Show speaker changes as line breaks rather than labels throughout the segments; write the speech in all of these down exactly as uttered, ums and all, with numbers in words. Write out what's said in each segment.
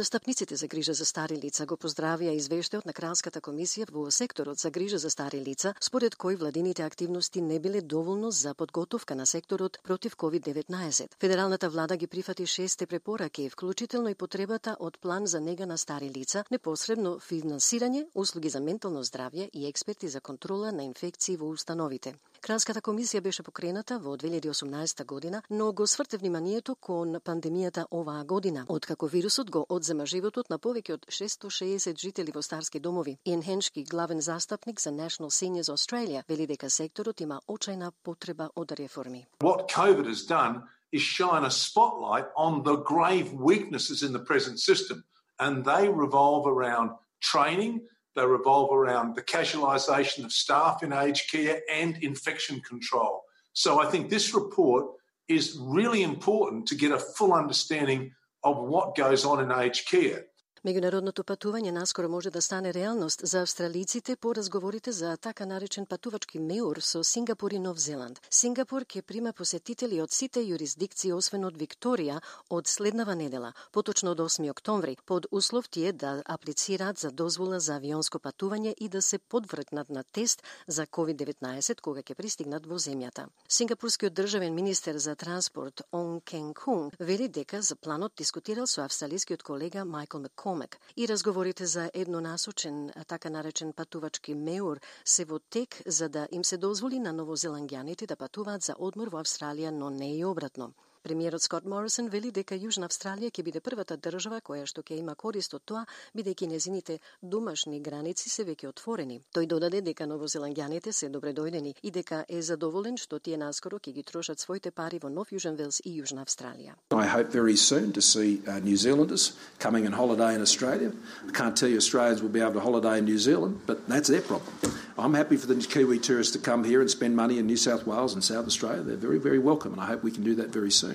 Застапниците за грижа за стари лица го поздравија извештајот на Кралската комисија во секторот за грижа за стари лица, според кој владините активности не биле доволно за подготовка на секторот против ковид деветнаесет. Федералната влада ги прифати шесте препораки, вклучително и потребата од план за нега на стари лица, непосредно финансирање, услуги за ментално здравје и експерти за контрола на инфекции во установите. Кралската комисија беше покрената во две илјади и осумнаесета година, но го сврте вниманието кон пандемијата оваа година, откако вирусот го одзема животот на повеќе од шестстотини и шеесет жители во старски домови. Иен Хеншки, главен застапник за National Seniors Australia, вели дека секторот има очајна потреба од реформи.
What COVID has done is shine a spotlight on the grave weaknesses in the present system, and they revolve around training, they revolve around the casualisation of staff in aged care and infection control. So I think this report is really important to get a full understanding of what goes on in aged care.
Меѓународното патување наскоро може да стане реалност за австралиците по разговорите за така наречен патувачки меур со Сингапур и Нов Зеланд. Сингапур ќе прима посетители од сите јурисдикции освен од Викторија од следнава недела, поточно од осми октомври, под услов тие да аплицираат за дозвола за авионско патување и да се подвргнат на тест за ковид деветнаесет кога ќе пристигнат во земјата. Сингапурскиот државен министер за транспорт Он Кен Кун вели дека за планот дискутирал со австралискиот колега Майкл Маккол и разговорите за еднонасочен, така наречен патувачки меур се во тек за да им се дозволи на новозеландјаните да патуваат за одмор во Австралија, но не и обратно. Премиерот Скот Морисон вели дека Јужна Австралија ќе биде првата држава која што ќе има корист од тоа, бидејќи незините домашни граници се веќе отворени. Тој додаде дека новозеландјаните се добредојдени и дека е задоволен што тие наскоро ќе ги трошат своите пари во Нов Јужен Велс и Јужна Австралија.
I hope very soon to see uh, New Zealanders coming on holiday in Australia. I can't tell you Australians will be able to holiday in New Zealand, but that's their problem. I'm happy for the Kiwi tourists to come here and spend money in New South Wales and South Australia. They're very, very welcome, and I hope we can do that very soon.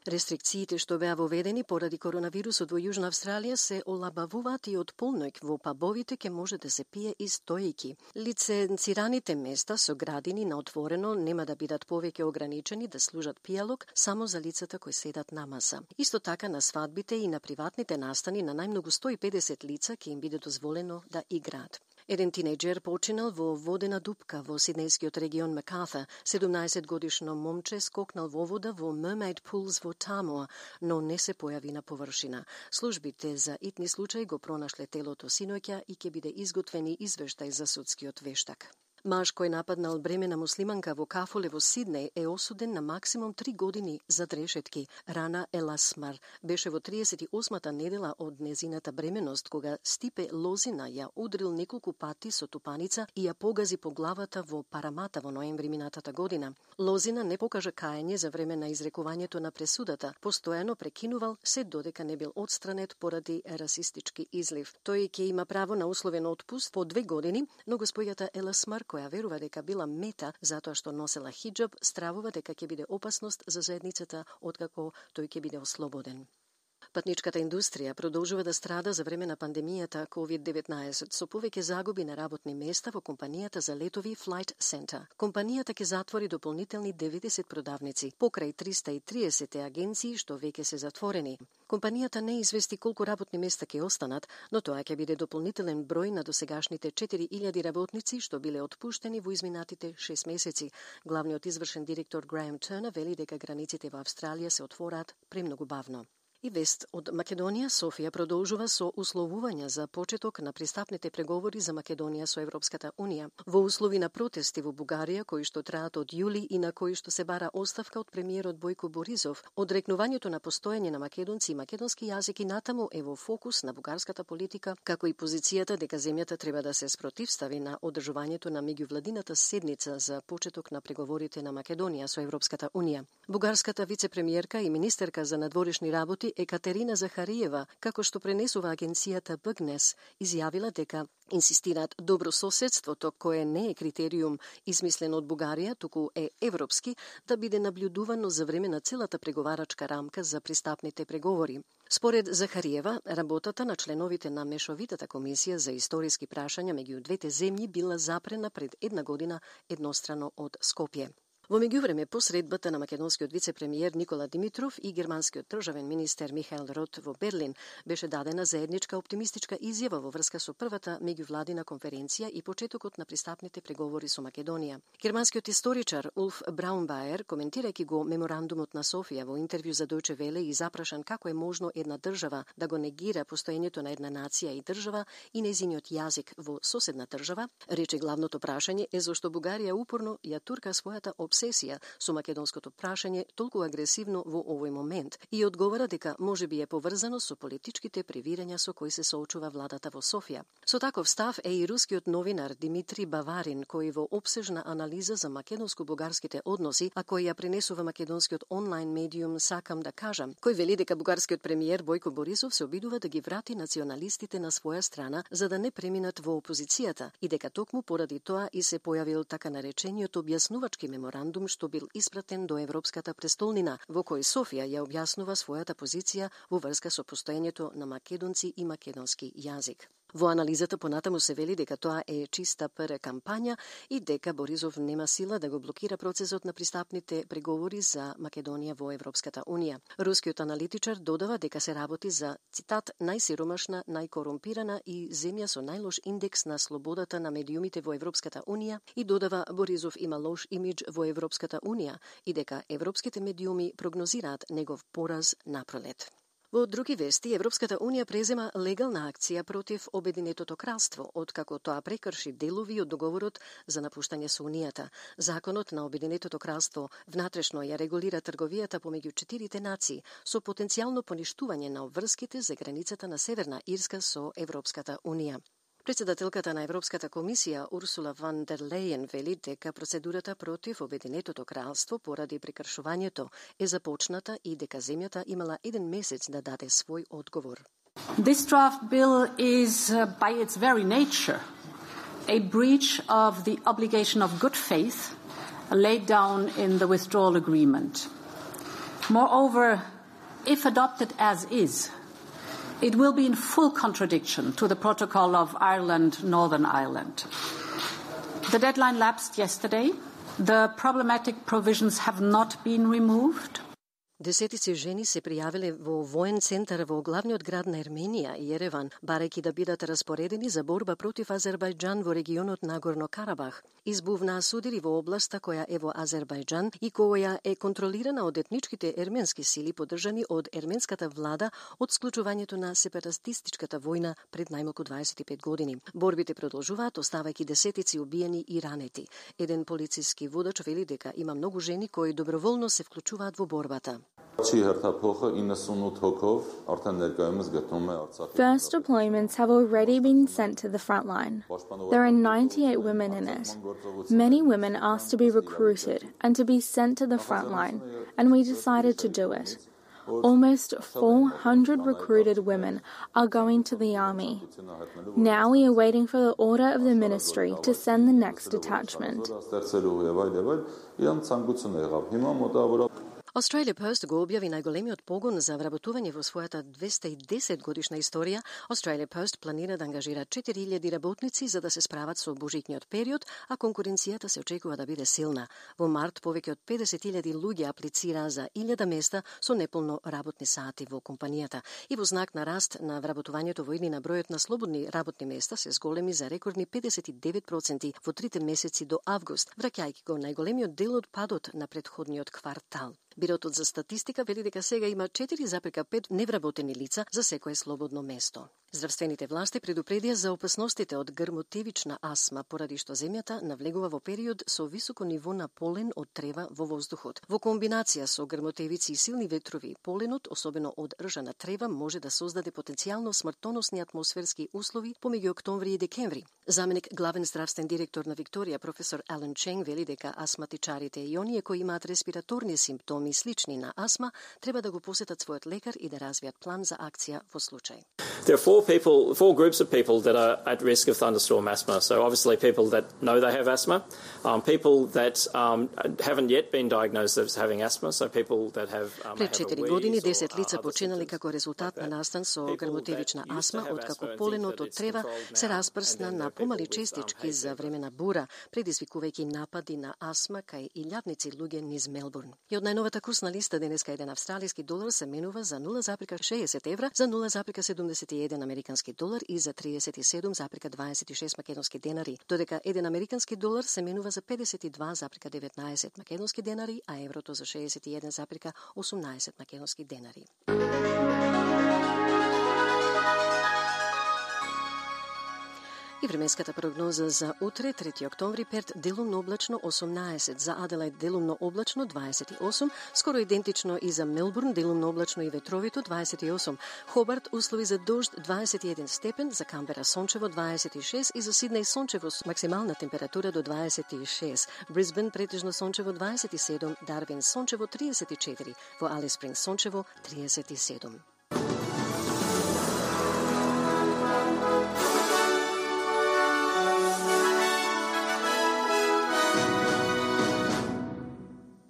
Рестрикциите што беа воведени поради коронавирусот во Јужна Австралија се олабавуваат и од полноќ во пабовите ќе може да се пие и стоејки. Лиценцираните места со градини на отворено нема да бидат повеќе ограничени да служат пијалок само за лицата кои седат на маса. Исто така на свадбите и на приватните настани на најмногу сто и педесет лица ќе им биде дозволено да играат. Еден тинејџер починал во водена дупка во сиднејскиот регион Макарта. седумнаесет годишно момче скокнал во вода во Mermaid Pools во Тамоа, но не се појави на површина. Службите за итни случај го пронашле телото синоќа и ќе биде изготвени извештај за судскиот вештак. Маж кој нападнал бремена муслиманка во кафоле во Сиднеј е осуден на максимум три години за решетки. Рана Еласмар беше во триесет и осмата недела од незината бременост кога Стипе Лозина ја удрил неколку пати со тупаница и ја погази по главата во Парамата во ноември минатата година. Лозина не покажа каење за време на изрекувањето на пресудата. Постојано прекинувал се додека не бил отстранет поради расистички излив. Тој ќе има право на условен отпуст по две години, но госпојата Еласмар која верува дека била мета затоа што носела хиџаб, стравува дека ќе биде опасност за заедницата откако тој ќе биде ослободен. Патничката индустрија продолжува да страда за време на пандемијата ковид деветнаесет со повеќе загуби на работни места во компанијата за летови Flight Centre. Компанијата ќе затвори дополнителни деветдесет продавници, покрај триста и триесет агенции што веќе се затворени. Компанијата не извести колку работни места ќе останат, но тоа ќе биде дополнителен број на досегашните четири илјади работници што биле отпуштени во изминатите шест месеци. Главниот извршен директор Граем Тернер вели дека границите во Австралија се отвораат премногу бавно. И вест од Македонија, Софија продолжува со условувања за почеток на пристапните преговори за Македонија со Европската Унија. Во услови на протести во Бугарија, кои што траат од јули и на кои што се бара оставка од премиерот Бојко Борисов, одрекнувањето на постоење на македонци и македонски јазик и натаму е во фокус на бугарската политика, како и позицијата дека земјата треба да се спротивстави на одржувањето на меѓувладината седница за почеток на преговорите на Македонија со Европската Унија. Бугарската вице-премиерка и министерка за надворешни работи Екатерина Захариева, како што пренесува агенцијата Бъгнес, изјавила дека инсистираат добро соседството, кое не е критериум измислен од Бугарија, туку е европски, да биде наблюдувано за време на целата преговарачка рамка за пристапните преговори. Според Захариева, работата на членовите на Мешовитата комисија за историски прашања меѓу двете земји била запрена пред една година еднострано од Скопје. Во меѓувреме, по средбата на македонскиот вице-премиер Никола Димитров и германскиот државен министер Михаел Рот во Берлин беше дадена заедничка оптимистичка изјава во врска со првата меѓувладина конференција и почетокот на пристапните преговори со Македонија. Германскиот историчар Улф Браунбаер, коментирајќи го меморандумот на Софија во интервју за Дојче Веле и запрашан како е можно една држава да го негира постоењето на една нација и држава и нејзиниот јазик во соседна држава, рече главното прашање е зошто Бугарија упорно ја турка својата обсесија со македонското прашање толку агресивно во овој момент и одговара дека можеби е поврзано со политичките превирања со кои се соочува владата во Софија. Со таков став е и рускиот новинар Димитри Баварин, кој во опсежна анализа за македонско-бугарските односи, а кој ја пренесува македонскиот онлайн медиум Сакам да кажам, кој вели дека бугарскиот премиер Бојко Борисов се обидува да ги врати националистите на своја страна за да не преминат во опозицијата и дека токму поради тоа и се појавил така наречениот објаснувачки меморандум што бил испратен до Европската престолнина, во кој Софија ја објаснува својата позиција во врска со постоењето на македонци и македонски јазик. Во анализата понатаму се вели дека тоа е чиста ПР кампања и дека Борисов нема сила да го блокира процесот на пристапните преговори за Македонија во Европската Унија. Рускиот аналитичар додава дека се работи за, цитат, најсиромашна, најкорумпирана и земја со најлош индекс на слободата на медиумите во Европската Унија и додава Борисов има лош имидж во Европската Унија и дека европските медиуми прогнозираат негов пораз напролет. Во други вести, Европската Унија презема легална акција против Обединетото кралство, откако тоа прекрши делови од договорот за напуштање со Унијата. Законот на Обединетото кралство внатрешно ја регулира трговијата помеѓу четирите нации со потенцијално поништување на обврските за границата на Северна Ирска со Европската Унија. Председателката на Европската комисија Урсула ван дер Лејен вели дека процедурата против Обединетото кралство поради прекршувањето е започната и дека земјата имала еден месец да даде свој одговор.
This draft bill is uh, by its very nature a breach of the obligation of good faith laid down in the withdrawal agreement. Moreover, if adopted as is, it will be in full contradiction to the Protocol of Ireland, Northern Ireland. The deadline lapsed yesterday. The problematic provisions have not been removed.
Десетици жени се пријавиле во воен центар во главниот град на Ерменија, Ереван, барајќи да бидат распоредени за борба против Азербајџан во регионот Нагорно Карабах. Избувнаа судири во областа која е во Азербајџан и која е контролирана од етничките ерменски сили поддржани од ерменската влада од склучувањето на сепаратистичката војна пред најмалку дваесет и пет години. Борбите продолжуваат, оставајќи десетици убиени и ранети. Еден полициски водач вели дека има многу жени кои доброволно се вклучуваат во борбата.
First deployments have already been sent to the front line. There are ninety-eight women in it. Many women asked to be recruited and to be sent to the front line, and we decided to do it. Almost four hundred recruited women are going to the army. Now we are waiting for the order of the ministry to send the next detachment.
Australia Post го објави најголемиот погон за вработување во својата двеста и десет годишна историја. Australia Post планира да ангажира четири илјади работници за да се справат со божитниот период, а конкуренцијата се очекува да биде силна. Во март повеќе од педесет илјади луѓе аплицираа за илјада места со неполно работни сати во компанијата. И во знак на раст на вработувањето во иднина бројот на слободни работни места се зголеми за рекордни педесет и девет проценти во трите месеци до август, враќајќи го најголемиот дел од падот на претходниот квартал. Бирото за статистика вели дека сега има четири запирка пет невработени лица за секое слободно место. Здравствените власти предупредија за опасностите од грмотевична астма, поради што земјата навлегува во период со високо ниво на полен од трева во воздухот. Во комбинација со грмотевици и силни ветрови, поленот, особено од ржана трева, може да создаде потенцијално смртоносни атмосферски услови помеѓу октомври и декември. Заменик главен здравствен директор на Викторија, професор Ален Ченг, вели дека астматичарите и оние кои имаат респираторни симптоми слични на астма треба да го посетат својот лекар и да развијат план за акција во случај.
There are four people, four groups of people that are at risk of thunderstorm asthma. So obviously people that know they have asthma, um, people that um, haven't yet been diagnosed as having asthma, so people that have um,
Пред четири години десет лица починали како резултат на настан со грмотевична асма, откако поленот од трева се распрсна на помали честички за време на бура, предизвикувајќи напади на асма кај илјадници луѓе низ Мелбурн. И од најновата курсна листа денеска еден австралиски долар се менува за нула запирка шеесет евра, за нула запирка седумдесет и еден американски долар и за триесет и седум запирка дваесет и шест македонски денари, додека еден американски долар се менува за педесет и два запирка деветнаесет македонски денари, а еврото за шеесет и еден запирка осумнаесет македонски денари. И временската прогноза за утре, трети октомври, Перт делумно облачно осумнаесет, за Аделајд делумно облачно дваесет и осум, скоро идентично и за Мелбурн делумно облачно и ветровито дваесет и осум, Хобарт услови за дожд дваесет и еден степен, за Камбера сончево дваесет и шест и за Сиднеј сончево с максимална температура до дваесет и шест, Брисбен претежно сончево дваесет и седум, Дарвин сончево триесет и четири, во Алис Спрингс сончево триесет и седум.